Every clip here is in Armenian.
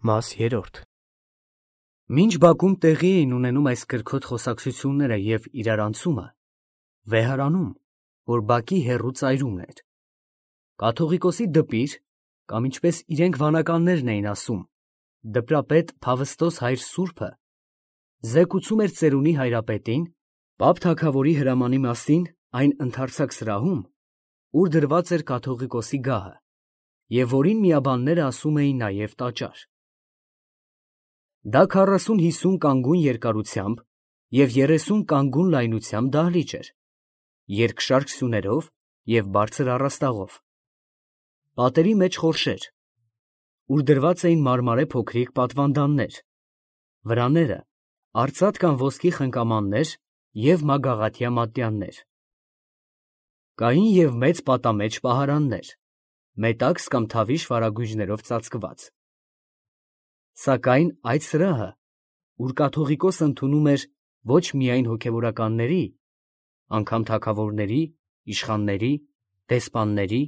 Մաս 3 Մինչ բակում տեղի էին ունենում այս կրքոտ խոսակցությունները և իրարանցումը, վեհարանում, որ բակի հեռու ծայրումն էր, կաթողիկոսի դպիր, կամ ինչպես իրենք վանականներն էին ասում, դպրապետ Փավստոս հայր սուրբը, զեկուցում էր ծերունի հայրապետին, պապ թագավորի հրամանի մասին այն ընդարձակ սրահում, ուր դրված էր կաթողիկոսի գահը, և որին միաբանները ասում էին նաև տաճար։ Դա 40-50 կանգուն երկարությամբ և 30 կանգուն լայնությամբ դահլիճ էր, երկշարք սյուներով և բարձր առաստաղով։ Պատերի մեջ խորշեր, ուր դրված էին մարմարե փոքրիկ պատվանդաններ, վրաները արծաթ կամ ոսկի խնկամաններ և մագաղաթյա մատյաններ։ Կային և մեծ պատամեջ պահարաններ, մետաքս կամ թավիշ վարագույրներով ծածկված։ Սակայն այդ սրահը, ուր կաթողիկոսը ընդունում էր ոչ միայն հոգևորականների, անգամ թագավորների, իշխանների, դեսպանների,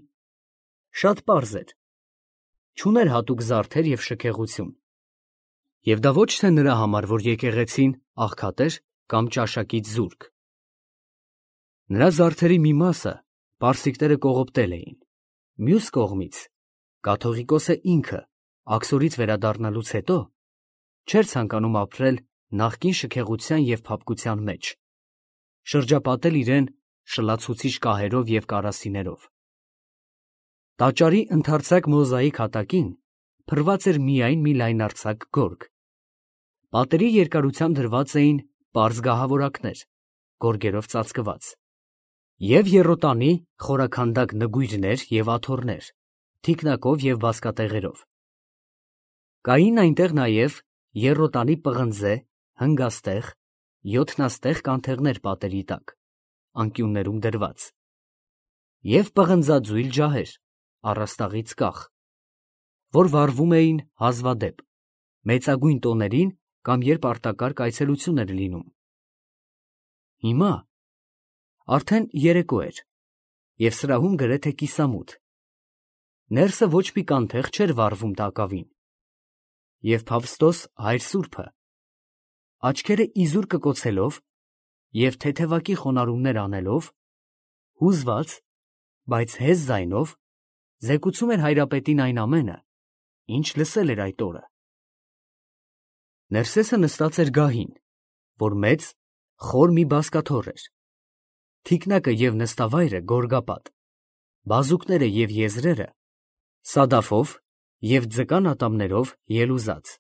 շատ պարզ էր, չուներ հատուկ զարդեր և շքեղություն, և դա ոչ թե նրա համար, որ եկեղեցին աղքատ էր կամ ճաշակից զուրկ։ Նրա զարդերի մի մասը պարսիկները կողոպտել էին, մյուս կողմից կաթողիկոսը ինքը աքսորից վերադառնալուց հետո չէր ցանկանում ապրել նախկին շքեղության և փափկության մեջ, շրջապատել իրեն շլացուցիչ կահերով և կարասիներով։ Տաճարի ընդարձակ մոզաիկ հատակին փռված էր միայն մի լայնարձակ գորգ, պատերի երկարությամբ դրված էին պարզ գահավորակներ, գորգերով ծածկված, և եռոտանի խորաքանդակ նգույրներ և աթոռներ, թիկնակով և բազկատեղերով։ Կային այնտեղ նաև եռոտանի պղնձե, հնգաստեղ, յոթնաստեղ կանթեղներ պատերի տակ, անկյուններում դրված, և պղնձաձույլ ջահեր, առաստաղից կախ, որ վառվում էին հազվադեպ, մեծագույն տոներին կամ երբ արտակարգ այցելություն էր լինում։ Հիմա արդեն երեկո էր, և սրահում գրեթե կիսամութ, ներսը ոչ մի կանթեղ չէր վառվում տակավին, և Փավստոս հայր սուրբը, աչքերը իզուր կկոցելով և թեթևակի խոնարհումներ անելով, հուզված, բայց հեզ ձայնով զեկուցում էր հայրապետին այն ամենը, ինչ լսել էր այդ օրը։ Ներսեսը նստած էր գահին, որ մեծ, խոր մի բազկաթոռ էր, թիկնակը և նստավայրը գորգապատ, բազուկները և եզրերը սադաֆով և ձկան ատամներով ելուզած։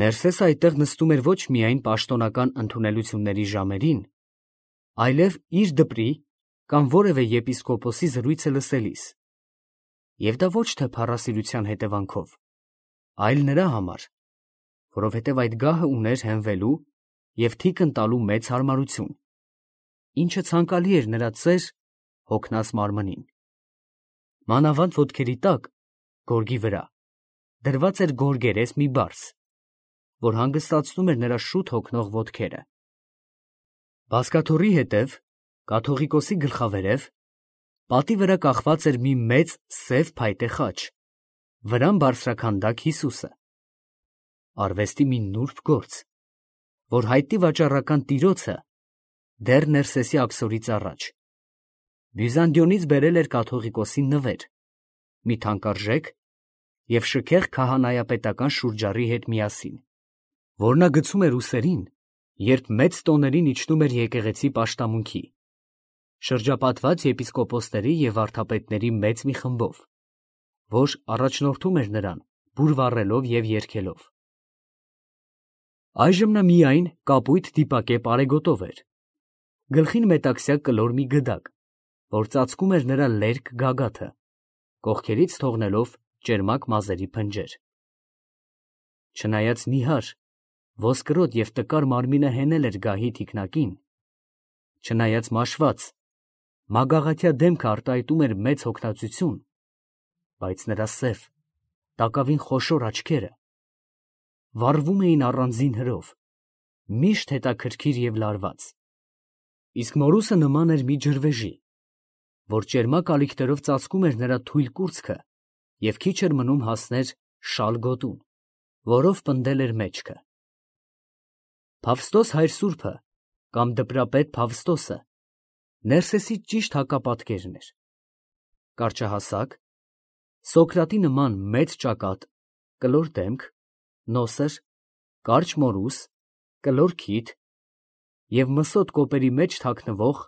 Ներսեսը այդտեղ նստում էր ոչ միայն պաշտոնական ընդունելությունների ժամերին, այլև իր դպրի կամ որևէ եպիսկոպոսի զրույցը լսելիս, և դա ոչ թե փառասիրության հետևանքով, այլ նրա համար, որովհետև այդ գահը ուներ հենվելու և թիկն տալու մեծ հարմարություն, ինչը ցանկալի էր նրա ծեր, հոգնած մարմնին։ Մանավանդ ոտքերի տակ, գորգի վրա, դրված էր գորգերես մի բարձ, որ հանգստացնում էր նրա շուտ հոգնող ոտքերը։ Բազկաթոռի հետև, կաթողիկոսի գլխավերև, պատի վրա կախված էր մի մեծ սև փայտե խաչ, վրան բարձրաքանդակ Հիսուսը, արվեստի մի նուրբ գործ, որ հայտնի վաճառական տիրոջը դեռ Ներսեսի աքսորից առաջ Բյուզանդիոնից բերել էր կաթողիկոսի նվեր, մի թանկարժեք և շքեղ քահանայապետական շուրջառի հետ միասին, որ նա գցում էր ուսերին, երբ մեծ տոներին իջնում էր եկեղեցի պաշտամունքի, շրջապատված եպիսկոպոսների և վարդապետների մեծ մի խմբով, որ առաջնորդում էր նրան բուր վառելով և երգելով։ Այժմ նա միայն կապույտ դիպակե պարեգոտով էր, գլխին մետաքսյա կլոր մի գդակ, որ ծածկում էր նրա լերկ գագաթը, կողքերից թողնելով ճերմակ մազերի փնջեր։ Չնայած նիհար, ոսկրոտ և տկար մարմինը հենել էր գահի թիկնակին, չնայած մաշված, մագաղաթյա դեմքը արտահայտում էր մեծ հոգնածություն, բայց նրա սև, տակավին խոշոր աչքերը վառվում էին առանձին հրով, միշտ հետաքրքիր և լարված, իսկ մորուսը նման էր մի ջրվեժի, որ ճերմակ ալիքներով ծածկում էր նրա թույլ կուրծքը և քիչ էր մնում հասներ շալ գոտուն, որով պնդել էր մեջքը։ Փավստոս հայր սուրբը կամ դպրապետ Փավստոսը Ներսեսի ճիշտ հակապատկերն էր։ Կարճահասակ, Սոկրատի նման մեծ ճակատ, կլոր դեմք, նոսր, կարճ մորուս, կլոր քիթ և մսոտ կոպերի մեջ թաքնվող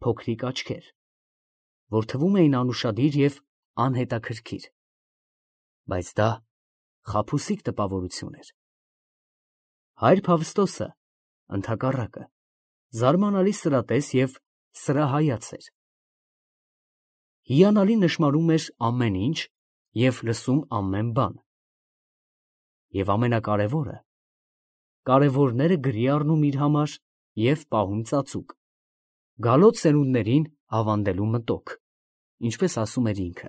փոքրիկ աչքեր, որ թվում էին անուշադիր և անհետաքրքիր, բայց դա խաբուսիկ տպավորություն էր։ Հայր Փավստոսը, ընդհակառակը, զարմանալի սրատես և սրահայաց էր։ Հիանալի նշմարում էր ամեն ինչ և լսում ամեն բան։ Եվ ամենակարևորը, կարևորները գրի առնում իր համար և պահում ծածուկ, գալոց սերունդներին ավանդելու մտոք, ինչպես ասում էր ինքը։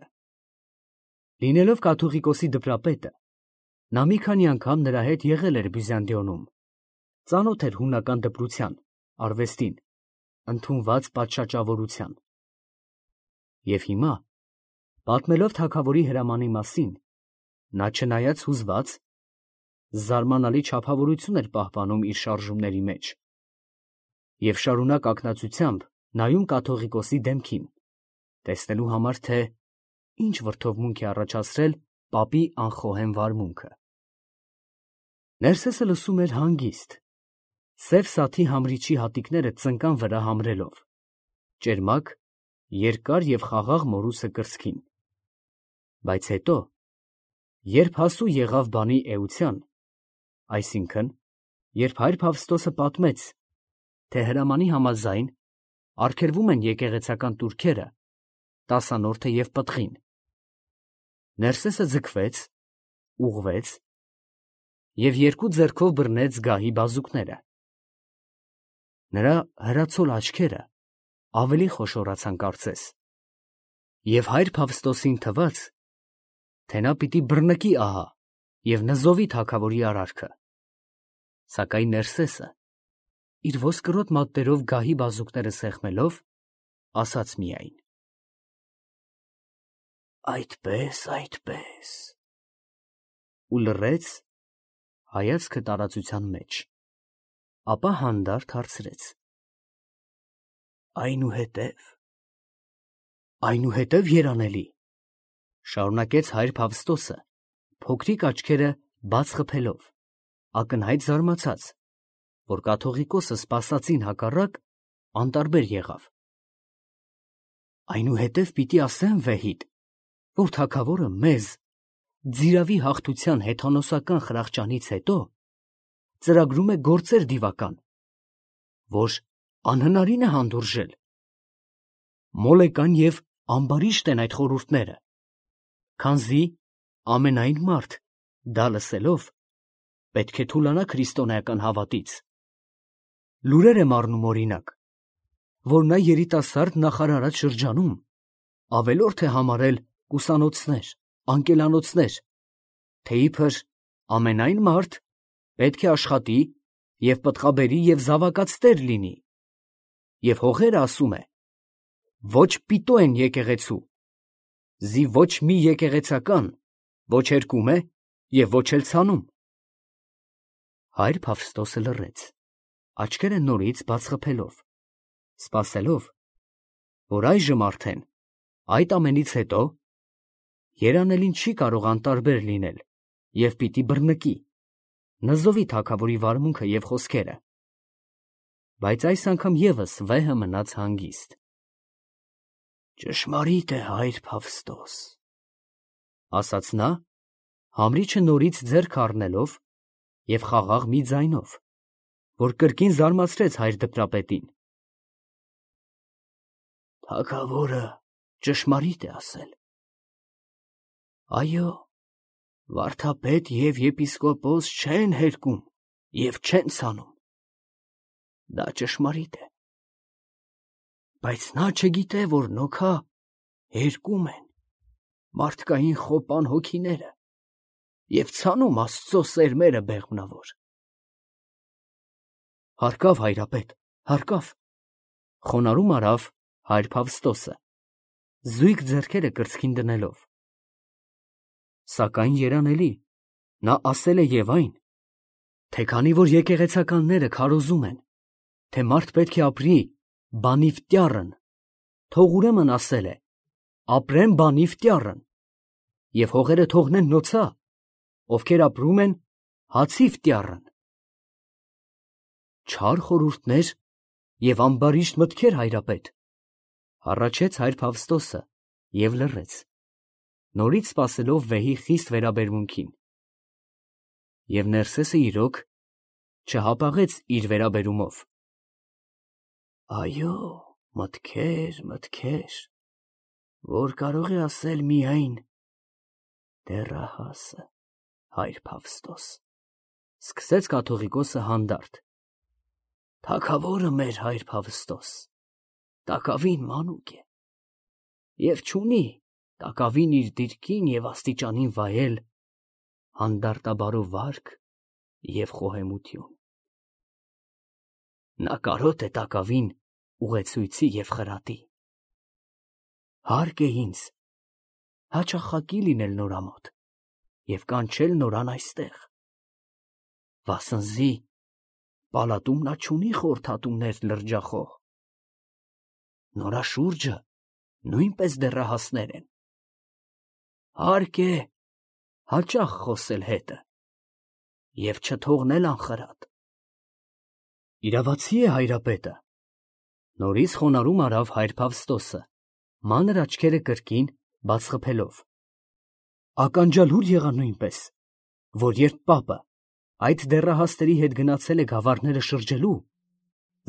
Լինելով կաթողիկոսի դպրապետը, նա մի քանի անգամ նրա հետ եղել էր Բյուզանդիոնում, ծանոթ էր հունական դպրության, արվեստին, ընդունված պատշաճավորության։ Եվ հիմա, պատմելով թագավորի հրամանի մասին, նա չնայած հուզված, զարմանալի չափավորություն էր պահպանում իր շարժումների մեջ և շարունակ ակնածությամբ նայում կաթողիկոսի դեմքին, տեսնելու համար, թե ինչ վրդովմունք է առաջացրել պապի անխոհեմ վարմունքը։ Ներսեսը լսում էր հանգիստ, սև սաթի համրիչի հատիկները ծնկան վրա համրելով, ճերմակ, երկար և խաղաղ մորուսը կրծքին, բայց հետո, երբ հասու եղավ բանի էության, այսինքն, երբ հայր Փավստոսը պատմեց, թե հրամանի համաձայն արգելվում են եկեղեցական տուրքերը, տասանորդը և պտղին, Ներսեսը ձգվեց, ուղղվեց և երկու ձեռքով բռնեց գահի բազուկները։ Նրա հրացոլ աչքերը ավելի խոշորացան կարծես, և հայր Փավստոսին թվաց, թե նա պիտի բռնկի ահա և նզովի թագավորի արարքը, սակայն Ներսեսը, իր ոսկրոտ մատներով գահի բազուկները սեղմելով, ասաց միայն. «Այդպես, այդպես» ու լռեց, հայացքը տարածության մեջ, ապա հանդարտ հարցրեց. Այնուհետև երանելի, շարունակեց հայր Փավստոսը, փոքրիկ աչքերը բաց խփելով, ակնհայտ զարմացած, որ կաթողիկոսը սպասածին հակառակ անտարբեր եղավ. այնուհետև պիտի ասեմ վեհիդ, որ թագավորը մեզ ձիրավի հաղթության հեթանոսական խրախճանից հետո ծրագրում է գործեր դիվական, որ անհնարին է հանդուրժել։ Մոլեկան և ամբարիշտ են այդ խորհուրդները, քանզի ամենայն մարդ, դա լսելով, պետք է թուլանա քրիստոնեական հավատից։ Լուրեր եմ առնում օրինակ, որ նա երիտասարդ նախարարած շրջանում ավելորդ է համարել կուսանոցներ, անկելանոցներ, թե իբր ամենայն մարդ պետք է աշխատի և պտղաբերի և զավակացտեր լինի, և հողերը, ասում է, ոչ պիտո են եկեղեցու, զի ոչ մի եկեղեցական ոչ հերկում է և ոչ էլ ցանում։ Հայր Փավստոսը լռեց, աչքերը նորից բաց խփելով, սպասելով, որ այժմ արդեն, այդ ամենից հետո, երանելին չի կարող անտարբեր լինել և պիտի բռնկի, նզովի թագավորի վարմունքը և խոսքերը, բայց այս անգամ ևս վեհը մնաց հանգիստ։ Ճշմարիտ է, հայր Փավստոս, ասաց նա, համրիչը նորից ձեռք առնելով և խաղաղ մի ձայնով, որ կրկին զարմացրեց հայր դպրապետին. թագավորը ճշմարիտ է ասել։ Այո, վարդապետ և եպիսկոպոս չեն հերկում և չեն ցանում, դա ճշմարիտ է, բայց նա չգիտե, որ նոքա հերկում են մարդկային խոպան հոգիները և ցանում Աստծո սերմերը բեղմնավոր։ Հարկավ, հայրապետ, հարկավ, խոնարհում արավ հայր Փավստոսը, զույգ ձեռքերը կրծքին դնելով։ Սակայն երանելի, Նա ասել է և այն, թե քանի որ եկեղեցականները քարոզում են, թե մարդ պետք է ապրի բանիվ տյառն, թող ուրեմն ասել է, ապրեմ բանիվ տյառն, և հողերը թողնեն նոցա, ովքեր ապրում են հացիվ տյառն։ Չար խորհուրդներ և ամբարիշտ մտքեր, հայրապետ, հառաչեց հայր Փավստոսը և լռեց, նորից սպասելով վեհի խիստ վերաբերմունքին։ Եվ Ներսեսը իրոք չհապաղեց իր վերաբերումով։ Այո, մտքեր, մտքեր, որ կարող է ասել միայն դեռահասը, հայր Փավստոս, սկսեց կաթողիկոսը հանդարտ։ Թագավորը մեր հայր Փավստոս, տակավին մանուկ է, և չունի տակավին իր դիրքին և աստիճանին վայել հանդարտաբարո վարք և խոհեմություն։ Նա կարոտ է տակավին ուղեցույցի և խրատի։ Հարկ է ինձ հաճախակի լինել նորամոտ և կանչել նորան այստեղ, վասնզի պալատում նա չունի խորհրդատուներ լրջախոհ, նորա շուրջը նույնպես դեռահասներ են։ Հարկ է հաճախ խոսել հետը և չթողնել անխրատ։ Իրավացի է հայրապետը, նորից խոնարհում արավ հայր Փավստոսը, մանր աչքերը կրկին բաց խփելով։ Ականջալուր եղա նույնպես, որ երբ պապը այդ դեռահասների հետ գնացել է գավառները շրջելու,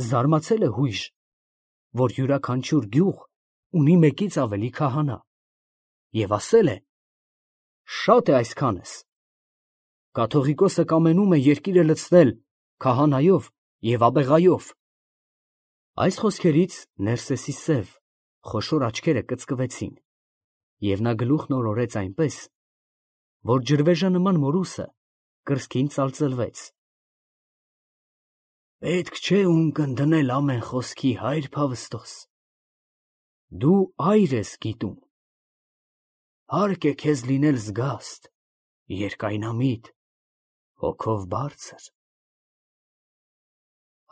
զարմացել է հույժ, որ յուրաքանչյուր գյուղ ունի մեկից ավելի քահանա, և ասել է. «Շատ է այսքանս»։ Կաթողիկոսը կամենում է երկիրը լցնել քահանայով և աբեղայով։ Այս խոսքերից Ներսեսի սև, խոշոր աչքերը կծկվեցին, և նա գլուխն օրորեց այնպես, որ ջրվեժանման մորուսը կրծքին ծալծլվեց։ Պետք չէ ունկնդնել ամեն խոսքի, հայր Փավստոս, դու այր ես գիտում, հարկ է քեզ լինել զգաստ, երկայնամիտ, հոգով բարձր։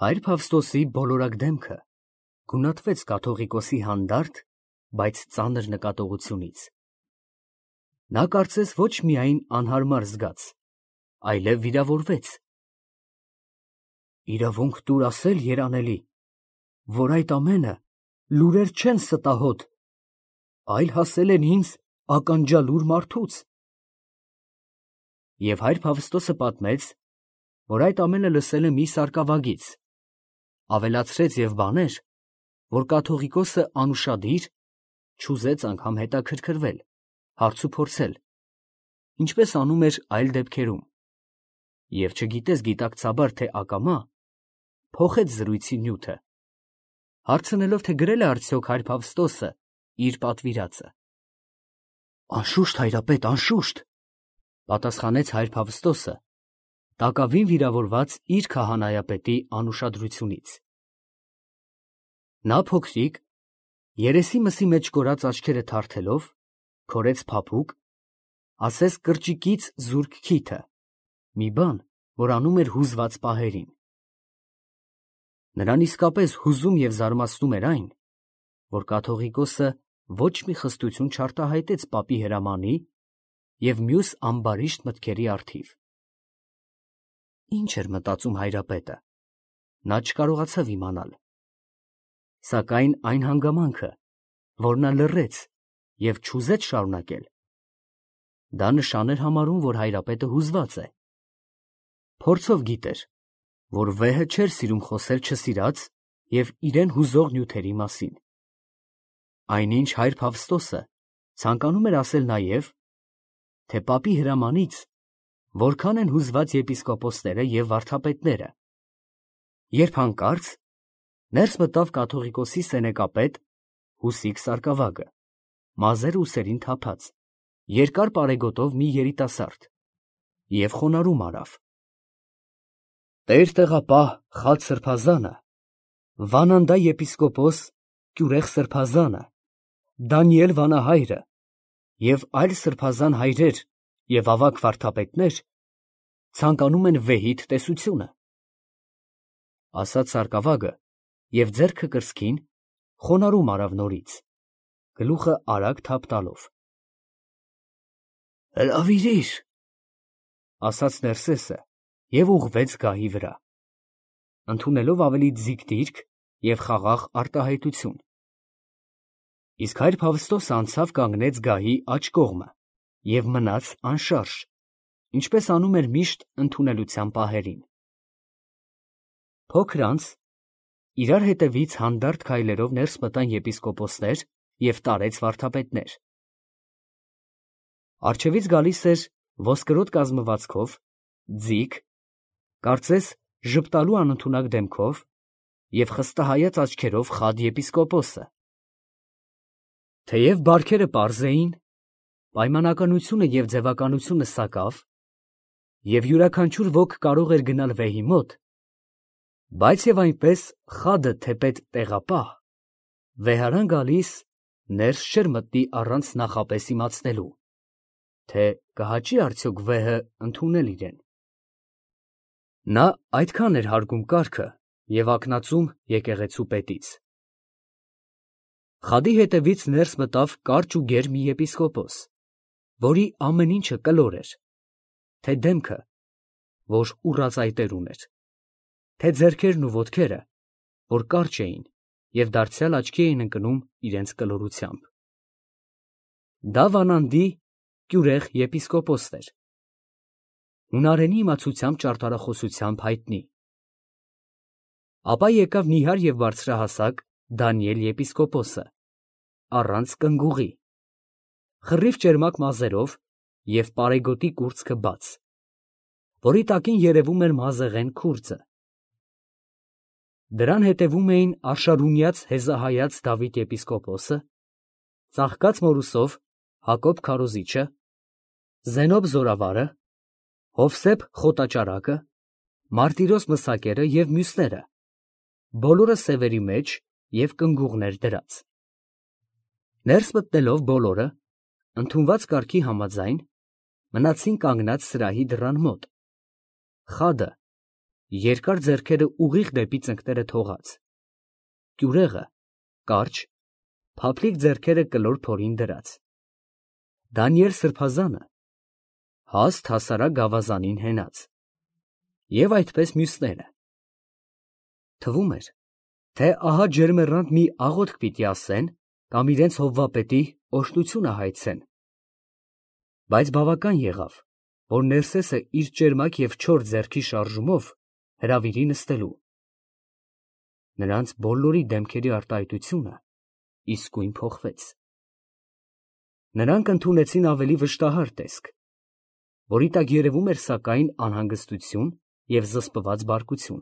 Հայր Փավստոսի բոլորակ դեմքը գունատվեց կաթողիկոսի հանդարտ, բայց ծանր նկատողությունից։ Նա կարծես ոչ միայն անհարմար զգաց, այլև վիրավորվեց։ Իրավունք տուր ասել, երանելի, որ այդ ամենը լուրեր չեն ստահոդ, այլ հասել են ինձ ականջալուր մարդուց։ Եվ հայր Փավստոսը պատմեց, որ այդ ամենը լսել է մի սարկավագից, ավելացրեց և բաներ, որ կաթողիկոսը անուշադիր չուզեց անգամ հետաքրքրվել, հարցուփորձել, ինչպես անում էր այլ դեպքերում, և չգիտես գիտակցաբար, թե ակամա փոխեց զրույցի նյութը, հարցնելով, թե գրել է արդյոք հայր Փավստոսը իր պատվիրածը։ Անշուշտ, հայրապետ, անշուշտ, պատասխանեց հայր Փավստոսը, տակավին վիրավորված իր քահանայապետի անուշադրությունից։ Նա փոքրիկ, երեսի մսի մեջ կորած աչքերը թարթելով, քորեց փափուկ, ասես կրճիկից զուրկ քիթը, մի բան, որ անում էր հուզված պահերին։ Նրան իսկապես հուզում և զարմացնում էր այն, որ կաթողիկոսը ոչ մի խստություն չարտահայտեց պապի հրամանի և մյուս ամբարիշտ մտքերի առթիվ։ Ինչ էր մտածում հայրապետը, նա չկարողացավ իմանալ, սակայն այն հանգամանքը, որ նա լռեց և չուզեց շարունակել, դա նշան էր համարում, որ հայրապետը հուզված է։ Փորձով գիտեր, որ վեհը չէր սիրում խոսել չսիրած և իրան հուզող նյութերի մասին։ Այնինչ հայր Փավստոսը ցանկանում էր ասել նաև, թե պապի հրամանից որքան են հուզված եպիսկոպոսները և վարդապետները, երբ հանկարծ ներս մտավ կաթողիկոսի սենեկապետ Հուսիկ սարկավագը, մազերը ուսերին թափած, երկար պարեգոտով մի երիտասարդ, և խոնարհում արավ. Տերտեղապահ Խաչ սրբազանը, Վանանդա եպիսկոպոս Կյուրեղ սրբազանը, Դանիել վանահայրը և այլ սրբազան հայրեր և ավագ վարդապետներ ցանկանում են վեհիդ տեսությունը։ Ասաց սարկավագը և ձեռքը կրծքին խոնարհում արավ նորից, գլուխը արագ թափ տալով։ Հրավիրիր, ասաց Ներսեսը և ուղղվեց գահի վրա, ընդունելով ավելի ձիգ դիրք և խաղաղ արտահայտություն։ Իսկ հայր Փավստոսը անցավ կանգնեց գահի աջ կողմը և մնաց անշարժ, ինչպես անում էր միշտ ընդունելության պահերին։ Փոքր անց իրար հետևից հանդարտ քայլերով ներս մտան եպիսկոպոսներ և տարեց վարդապետներ։ Առջևից գալիս էր ոսկրոտ կազմվածքով, ձիգ, կարծես ժպտալու անընդունակ դեմքով և խստահայաց աչքերով խադ եպիսկոպոսը։ Թեև բարքերը պարզ էին, պայմանականությունը և ձևականությունը սակավ, և յուրաքանչյուր ոք կարող էր գնալ վեհի մոտ, բայց և այնպես խադը թեպետ տեղապահ, վեհարան գալիս ներս չէր մտնի առանց նախապես իմացնելու, թե կհաճի արդյոք վեհը ընդունել իրեն։ Նա այդքան էր հարգում կարգը և ակնածում եկեղեցու պետից։ Խադի հետևից ներս մտավ կարճ ու գեր մի եպիսկոպոս, որի ամեն ինչը կլոր էր, թե դեմքը, որ ուռածայտեր ուներ, թե ձեռքերն ու ոտքերը, որ կարճ էին և դարձյալ աչքի էին ընկնում իրենց կլորությամբ։ Դա Վանանդի կյուրեղ եպիսկոպոսն էր, հունարենի իմացությամբ ճարտարախոսությամբ հայտնի։ Ապա եկավ նիհար և բարձրահասակ Դանիել եպիսկոպոսը, առանց կնգուղի, խռիվ ճերմակ մազերով և պարեգոտի կուրծքը բաց, որի տակին երևում էր մազեղեն քուրձը։ Դրան հետևում էին արշարունյաց հեզահայաց Դավիթ եպիսկոպոսը, ծաղկած մորուսով Հակոբ քարոզիչը, Զենոբ զորավարը, Հովսեփ խոտաճարակը, Մարտիրոս մսակերը և մյուսները, բոլորը սևերի մեջ և կնգուղներ դրած։ Ներս մտնելով բոլորը, ընդունված կարգի համաձայն, մնացին կանգնած սրահի դռան մոտ, խադը երկար ձեռքերը ուղիղ դեպի ծնկները թողած, կյուրեղը կարճ, փափլիկ ձեռքերը կլոր փորին դրած, Դանիել սրբազանը հաստ հասարակ գավազանին հենած, և այդպես մյուսները։ Թվում էր, թե ահա ջերմեռանդ մի աղոթք պիտի ասեն կամ իրենց հովվապետի օրհնությունը հայցեն, բայց բավական եղավ, որ Ներսեսը իր ճերմակ և չոր ձեռքի շարժումով հրավիրի նստելու։ Նրանց բոլորի դեմքերի արտահայտությունը իսկույն փոխվեց։ Նրանք ընդունեցին ավելի վշտահար տեսք, որի տակ երևում էր սակայն անհանգստություն և զսպված բարկություն։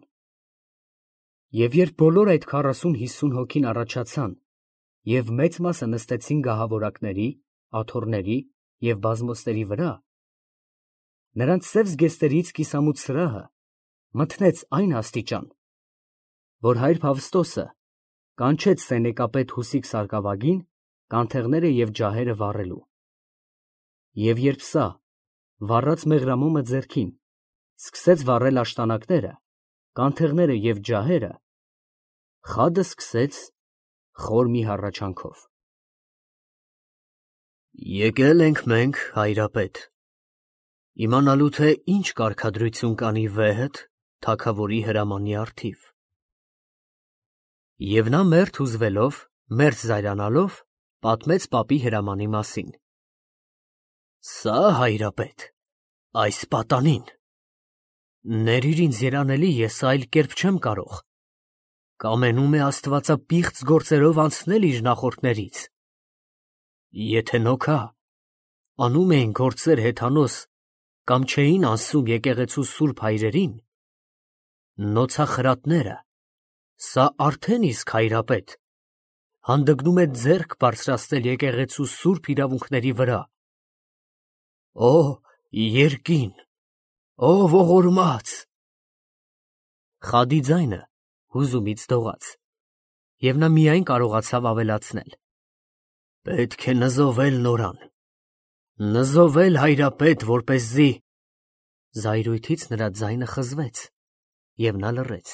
Եվ երբ բոլոր այդ 40-50 հոգին առաջացան և մեծ մասը նստեցին գահավորակների, աթոռների և բազմոցների վրա, նրանց սև զգեստներից կիսամութ սրահը մթնեց այն աստիճան, որ հայր Փավստոսը կանչեց սենեկապետ Հուսիկ սարկավագին կանթեղները և ջահերը վառելու։ Եվ երբ սա, վառած մեղրամոմը ձեռքին, սկսեց վառել աշտանակները, կանթեղները և ջահերը, խադը սկսեց խոր մի հառաչանքով. Եկել ենք մենք, հայրապետ, իմանալու թե ինչ կարգադրություն կանի վեհդ թագավորի հրամանի առթիվ։ Եվ նա մերթ հուզվելով, մերթ զայրանալով, պատմեց պապի հրամանի մասին։ Սա, հայրապետ, այս պատանին, ներիր ինձ երանելի, ես այլ կերպ չեմ կարող, կամենում է աստվածապիղծ գործերով անցնել իր նախորդներից։ Եթե նոքա, անում էին գործեր հեթանոս կամ չէին անսում եկեղեցու սուրբ հայրերին, նոցախրատները, սա արդեն իսկ, հայրապետ, հանդգնում է ձեռք բարձրացնել եկեղեցու սուրբ իրավունքների վրա։ Օ, երկին, օ, ողորմած… Խադի ձայնը հուզումից դողաց, և նա միայն կարողացավ ավելացնել. Պետք է նզովել նորան, նզովել, հայրապետ, որպեսզի… Զայրույթից նրա ձայնը խզվեց, և նա լռեց։